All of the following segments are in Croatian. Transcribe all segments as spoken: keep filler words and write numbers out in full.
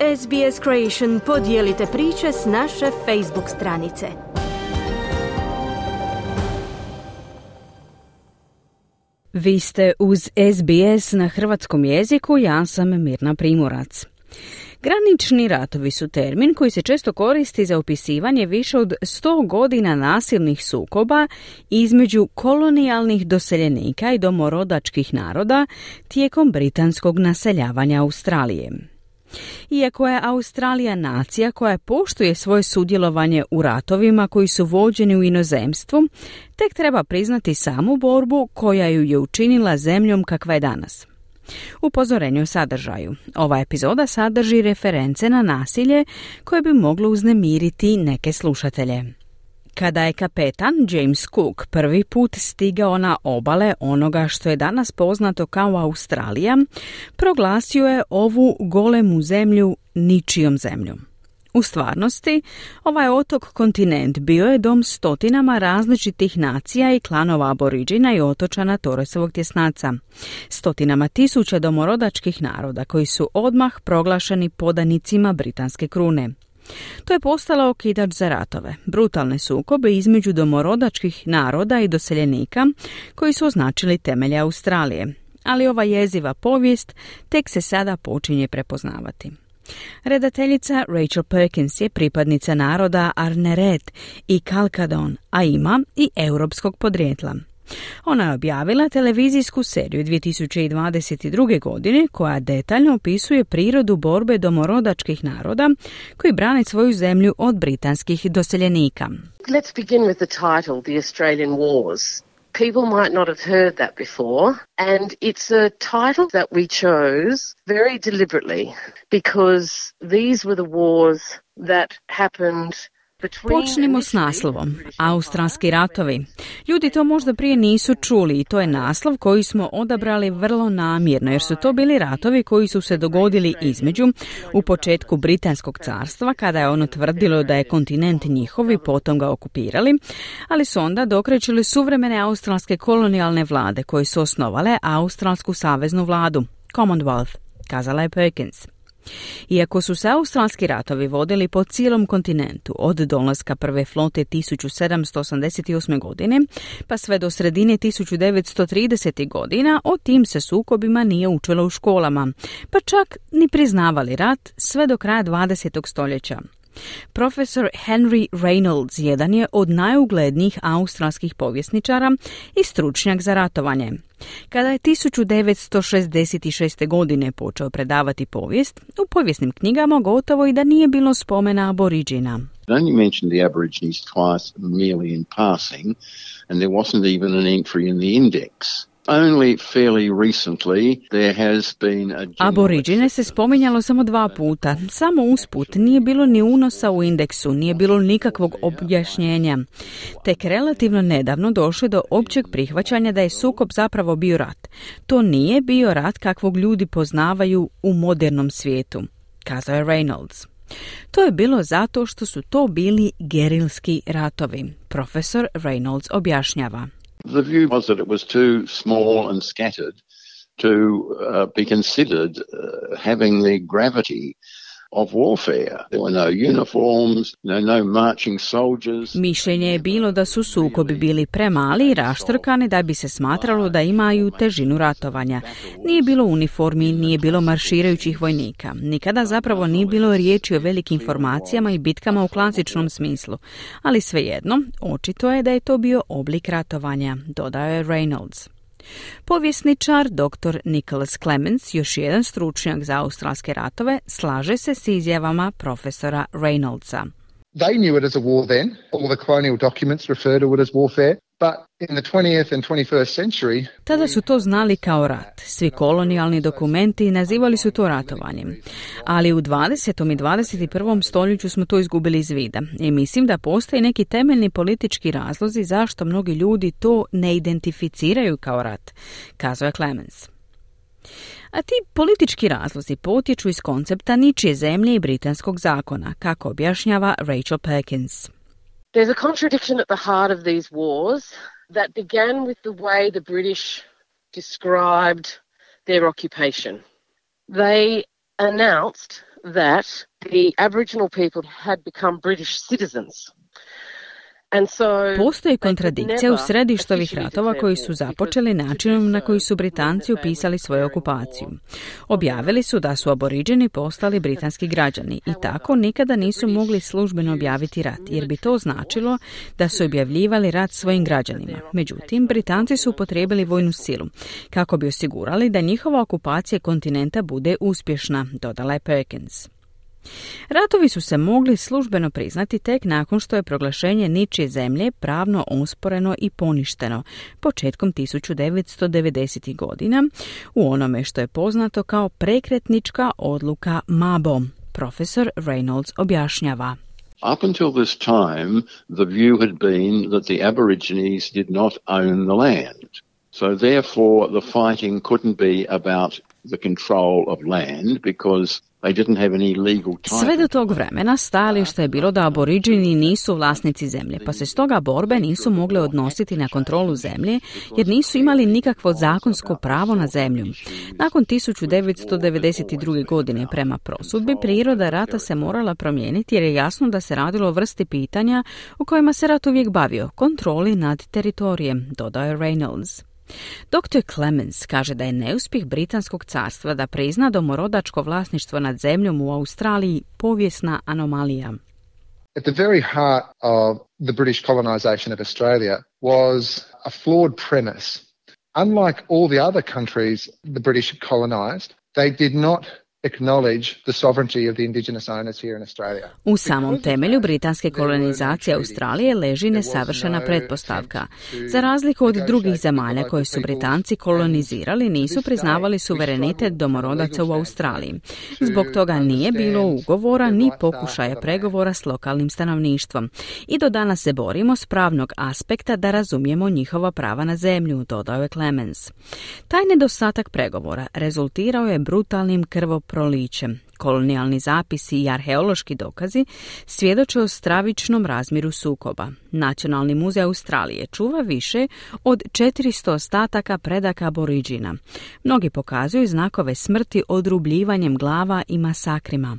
S B S Creation podijelite priče s naše Facebook stranice. Vi ste uz S B S na hrvatskom jeziku, ja sam Mirna Primorac. Granični ratovi su termin koji se često koristi za opisivanje više od sto godina nasilnih sukoba između kolonijalnih doseljenika i domorodačkih naroda tijekom britanskog naseljavanja Australije. Iako je Australija nacija koja poštuje svoje sudjelovanje u ratovima koji su vođeni u inozemstvu, tek treba priznati samu borbu koja ju je učinila zemljom kakva je danas. Upozorenje o sadržaju. Ova epizoda sadrži reference na nasilje koje bi moglo uznemiriti neke slušatelje. Kada je kapetan James Cook prvi put stigao na obale onoga što je danas poznato kao Australija, proglasio je ovu golemu zemlju ničijom zemljom. U stvarnosti, ovaj otok kontinent bio je dom stotinama različitih nacija i klanova aboriđina i otočana Torresovog tjesnaca. Stotinama tisuća domorodačkih naroda koji su odmah proglašeni podanicima britanske krune. To je postalo okidač za ratove, brutalne sukobe između domorodačkih naroda i doseljenika koji su označili temelje Australije. Ali ova jeziva povijest tek se sada počinje prepoznavati. Redateljica Rachel Perkins je pripadnica naroda Arneret i Kalkadon, a ima i europskog podrijetla. Ona je objavila televizijsku seriju dvije tisuće dvadeset druge. godine koja detaljno opisuje prirodu borbe domorodačkih naroda koji brane svoju zemlju od britanskih doseljenika. Let's begin with the title, The Australian Wars. People might not have heard that before, and it's a title that we chose very deliberately because these were the wars that happened. Počnimo s naslovom. Australski ratovi. Ljudi to možda prije nisu čuli i to je naslov koji smo odabrali vrlo namjerno jer su to bili ratovi koji su se dogodili između u početku Britanskog carstva kada je ono tvrdilo da je kontinent njihov i potom ga okupirali, ali su onda dokrećili suvremene australske kolonijalne vlade koje su osnovale Australsku saveznu vladu, Commonwealth, kazala je Perkins. Iako su se australski ratovi vodili po cijelom kontinentu od dolaska prve flote tisuću sedamsto osamdeset osme. godine pa sve do sredine tisuću devetsto tridesetih. godina, o tim se sukobima nije učilo u školama, pa čak ni priznavali rat sve do kraja dvadesetog. stoljeća. Profesor Henry Reynolds jedan je od najuglednijih australskih povjesničara i stručnjak za ratovanje. Kada je tisuću devetsto šezdeset šeste. godine počeo predavati povijest, u povijesnim knjigama gotovo i da nije bilo spomena aboriđina. It only mentioned the Aborigines twice merely in passing, and there wasn't even an entry in the index. Only fairly recently there has been a Aboriđine se spominjalo samo dva puta, samo usput, nije bilo ni unosa u indeksu, nije bilo nikakvog objašnjenja. Tek relativno nedavno došlo do općeg prihvaćanja da je sukob zapravo bio rat. To nije bio rat kakvog ljudi poznavaju u modernom svijetu, kazao je Reynolds. To je bilo zato što su to bili gerilski ratovi, profesor Reynolds objašnjava. The view was that it was too small and scattered to uh, be considered uh, having the gravity of warfare. There were no uniforms, no, no marching soldiers. Mišljenje je bilo da su sukobi bili premali i raštrkani da bi se smatralo da imaju težinu ratovanja. Nije bilo uniformi, nije bilo marširajućih vojnika. Nikada zapravo nije bilo riječi o velikim formacijama i bitkama u klasičnom smislu. Ali svejedno, očito je da je to bio oblik ratovanja, dodao je Reynolds. Povjesničar doktor Nicholas Clements, još jedan stručnjak za australske ratove, slaže se s izjavama profesora Reynoldsa. They knew it as a war then. All the colonial documents refer to it as warfare. But in the twentieth and twenty-first century, tada su to znali kao rat. Svi kolonijalni dokumenti nazivali su to ratovanjem. Ali u dvadesetom i dvadeset prvom stoljeću smo to izgubili iz vida. I mislim da postoji neki temeljni politički razlozi zašto mnogi ljudi to ne identificiraju kao rat, kazao je Clemens. A ti politički razlozi potječu iz koncepta ničije zemlje i britanskog zakona, kako objašnjava Rachel Perkins. There's a contradiction at the heart of these wars that began with the way the British described their occupation. They announced that the Aboriginal people had become British citizens. Postoji kontradikcija u središtu ovih ratova koji su započeli načinom na koji su Britanci upisali svoju okupaciju. Objavili su da su Aboriđeni postali britanski građani i tako nikada nisu mogli službeno objaviti rat, jer bi to značilo da su objavljivali rat svojim građanima. Međutim, Britanci su upotrijebili vojnu silu kako bi osigurali da njihova okupacija kontinenta bude uspješna, dodala je Perkins. Ratovi su se mogli službeno priznati tek nakon što je proglašenje ničije zemlje pravno osporeno i poništeno početkom tisuću devetsto devedesetih godina u onome što je poznato kao prekretnička odluka Mabo. Profesor Reynolds objašnjava. Up until this time, the view had been that the Aborigines did not own the land. So therefore the fighting couldn't be about the control of land because they didn't have any legal title. Sve do tog vremena stajalište je bilo da Aboriđini nisu vlasnici zemlje, pa se stoga borbe nisu mogle odnositi na kontrolu zemlje jer nisu imali nikakvo zakonsko pravo na zemlju. Nakon tisuću devetsto devedeset druge. godine prema prosudbi priroda rata se morala promijeniti jer je jasno da se radilo o vrsti pitanja u kojima se rat uvijek bavio, kontroli nad teritorijem, dodao je Reynolds. doktor Clemens kaže da je neuspjeh Britanskog carstva da prizna domorodačko vlasništvo nad zemljom u Australiji povijesna anomalija. At the very heart of the British colonization of Australia was a flawed premise. Unlike all the other countries the British colonized, they did not acknowledge the sovereignty of the indigenous owners here in Australia. U samom temelju britanske kolonizacije Australije leži nesavršena pretpostavka. Za razliku od drugih zemalja koje su Britanci kolonizirali, nisu priznavali suverenitet domorodaca u Australiji. Zbog toga nije bilo ugovora ni pokušaja pregovora s lokalnim stanovništvom. I do danas se borimo s pravnog aspekta da razumijemo njihova prava na zemlju, dodao je Clemens. Taj nedostatak pregovora rezultirao je brutalnim krvoprolićem. Kolonijalni zapisi i arheološki dokazi svjedoče o stravičnom razmjeru sukoba. Nacionalni muzej Australije čuva više od četiristo ostataka predaka Aboriđina. Mnogi pokazuju znakove smrti odrubljivanjem glava i masakrima.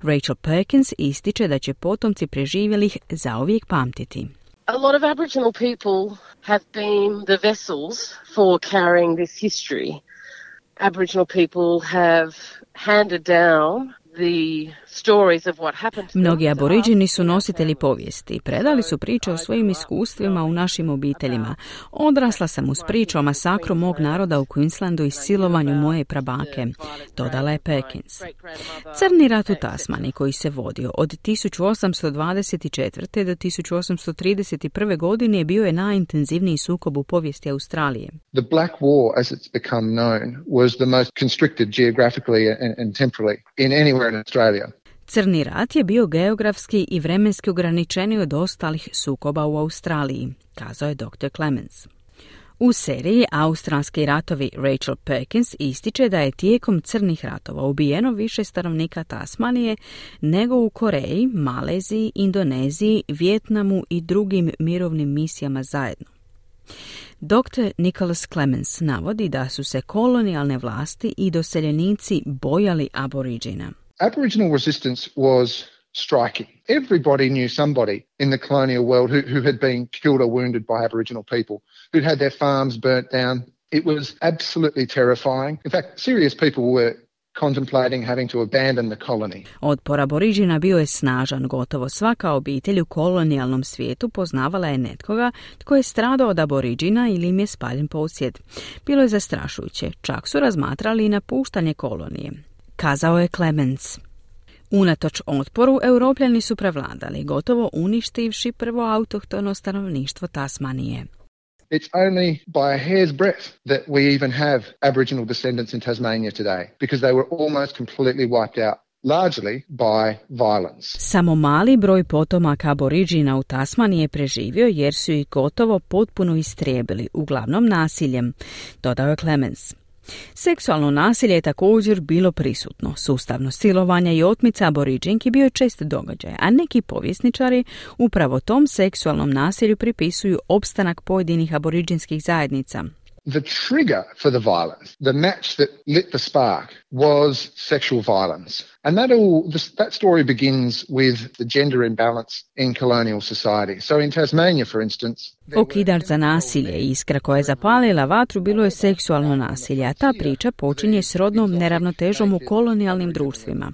Rachel Perkins ističe da će potomci preživjelih zauvijek pamtiti. A lot of Aboriginal people have been the vessels for carrying this history. Aboriginal people have handed down the stories of what happened. Mnogi Aboriđini su nositelji povijesti. Predali su priče o svojim iskustvima u našim obiteljima. Odrasla sam uz priču o masakru mog naroda u Queenslandu i silovanju moje prabake, dodala je Perkins. Crni rat u Tasmani, koji se vodio od tisuću osamsto dvadeset četvrte. do tisuću osamsto trideset prve. godine, bio je najintenzivniji sukob u povijesti Australije. The Black War, as it's become known, was the most constricted geographically and, and temporally in anywhere in Australia. Crni rat je bio geografski i vremenski ograničeniji od ostalih sukoba u Australiji, kazao je doktor Clemens. U seriji Australski ratovi Rachel Perkins ističe da je tijekom crnih ratova ubijeno više stanovnika Tasmanije nego u Koreji, Maleziji, Indoneziji, Vijetnamu i drugim mirovnim misijama zajedno. doktor Nicholas Clemens navodi da su se kolonijalne vlasti i doseljenici bojali Aboriđina. Aboriginal resistance was striking. Everybody knew somebody in the colonial world who, who had been killed or wounded by Aboriginal people, who'd had their farms burnt down. It was absolutely terrifying. In fact, serious people were contemplating having to abandon the colony. Otpor Aboriđina bio je snažan. Gotovo svaka obitelj u kolonijalnom svijetu poznavala je netkoga tko je stradao od Aboriđina ili im je spaljen posjed. Bilo je zastrašujuće. Čak su razmatrali i napuštanje kolonije, kazao je Clemens. Unatoč otporu, Europljani su prevladali, gotovo uništivši prvo autohtono stanovništvo Tasmanije. It's only by a hair's breadth that we even have Aboriginal descendants in Tasmania today, because they were almost completely wiped out, largely by violence. Samo mali broj potomaka Aboriđina u Tasmaniji je preživio jer su ih gotovo potpuno istrijebili, uglavnom nasiljem, dodao je Clemens. Seksualno nasilje je također bilo prisutno. Sustavno silovanje i otmica Aboriđinki bio je čest događaj, a neki povjesničari upravo tom seksualnom nasilju pripisuju opstanak pojedinih aboriđinskih zajednica. The trigger for the violence, the match that lit the spark, was sexual violence. And that all, this, that story begins with the gender imbalance in colonial society. So in Tasmania, for instance... Okidač za nasilje i iskra koja je zapalila vatru bilo je seksualno nasilje, a ta priča počinje s rodnom neravnotežom u kolonijalnim društvima.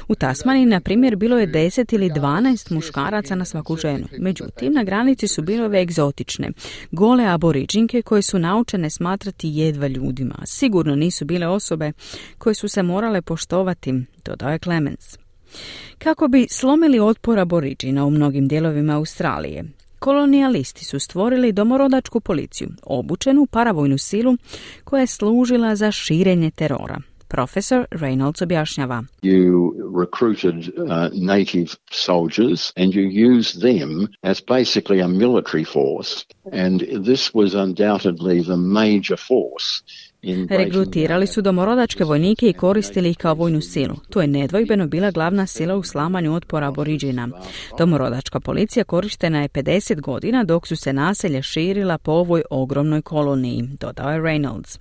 U Tasmaniji, na primjer, bilo je deset ili dvanaest muškaraca na svaku ženu. Međutim, na granici su bile ove egzotične, gole aboriđinke koje su naučene smatrati jedva ljudima. Sigurno nisu bile osobe koje su se morale poštovati, dodao je Clemens. Kako bi slomili otpor aboriđina u mnogim dijelovima Australije, kolonijalisti su stvorili domorodačku policiju, obučenu paravojnu silu koja je služila za širenje terora. Profesor Reynolds objašnjava. You recruited uh, native soldiers and you used them as basically a military force, and this was undoubtedly the major force. Regrutirali su domorodačke vojnike i koristili ih kao vojnu silu. To je nedvojbeno bila glavna sila u slamanju otpora aboriđina. Domorodačka policija korištena je pedeset godina dok su se naselja širila po ovoj ogromnoj koloniji, dodao je Reynolds.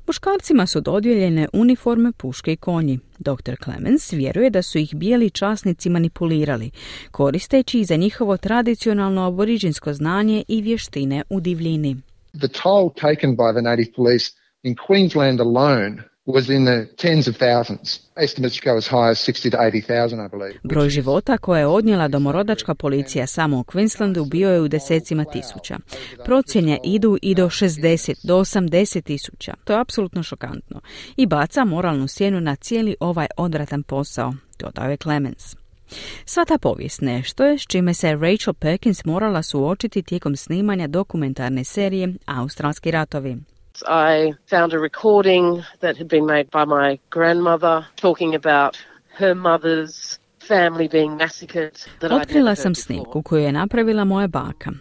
Muškarcima su dodijeljene uniforme, puške i konji. doktor Clemens vjeruje da su ih bijeli časnici manipulirali, koristeći ih za njihovo tradicionalno aboriđinsko znanje i vještine u divljini. The toll taken by the native police in Queensland alone was in the tens of thousands. Estimates go as high as sixty to eighty thousand, I believe. Broj života koje je odnijela domorodačka policija samo u Queenslandu bio je u desecima tisuća. Procjene idu i do šezdeset do osamdeset tisuća. To je apsolutno šokantno i baca moralnu sjenu na cijeli ovaj odvratan posao, dodao je Clemens. Sva ta povijest nešto je s čime se Rachel Perkins morala suočiti tijekom snimanja dokumentarne serije Australski ratovi. I found a recording that had been made by my grandmother talking about her mother's family being massacred. Otkrila sam snimku koju je napravila moja baka.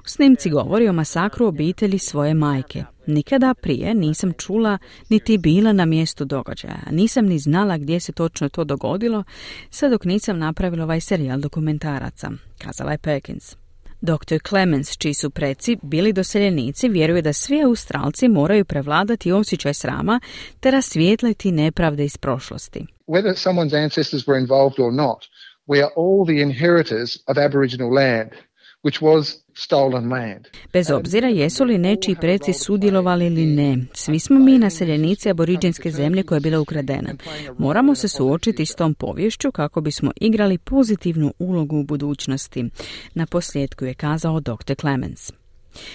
U snimci govori o masakru obitelji svoje majke. Nikada prije nisam čula niti bila na mjestu događaja. Nisam ni znala gdje se točno to dogodilo, sve dok nisam napravila ovaj serijal dokumentaraca, kazala je Perkins. doktor Clemens, čiji su preci bili doseljenici, vjeruje da svi Australci moraju prevladati osjećaj srama te rasvijetliti nepravde iz prošlosti. Whether someone's ancestors were involved or not, we are all the inheritors of Aboriginal land, which was stolen land. Bez obzira jesu li nečiji preci sudjelovali ili ne, svi smo mi naseljenici aboriđinske zemlje koja je bila ukradena. Moramo se suočiti s tom poviješću kako bismo igrali pozitivnu ulogu u budućnosti. Na posljedku je kazao doktor Clemens.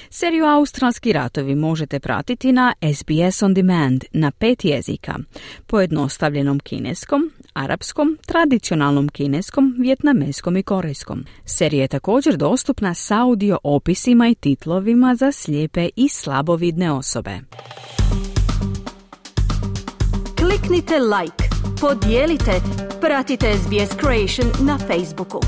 Seriju Australski ratovi možete pratiti na S B S On Demand na pet jezika, pojednostavljenom kineskom, arapskom, tradicionalnom kineskom, vijetnameskom i korejskom. Serija je također dostupna s audio opisima i titlovima za slijepe i slabovidne osobe. Kliknite like, podijelite, pratite S B S Creation na Facebooku.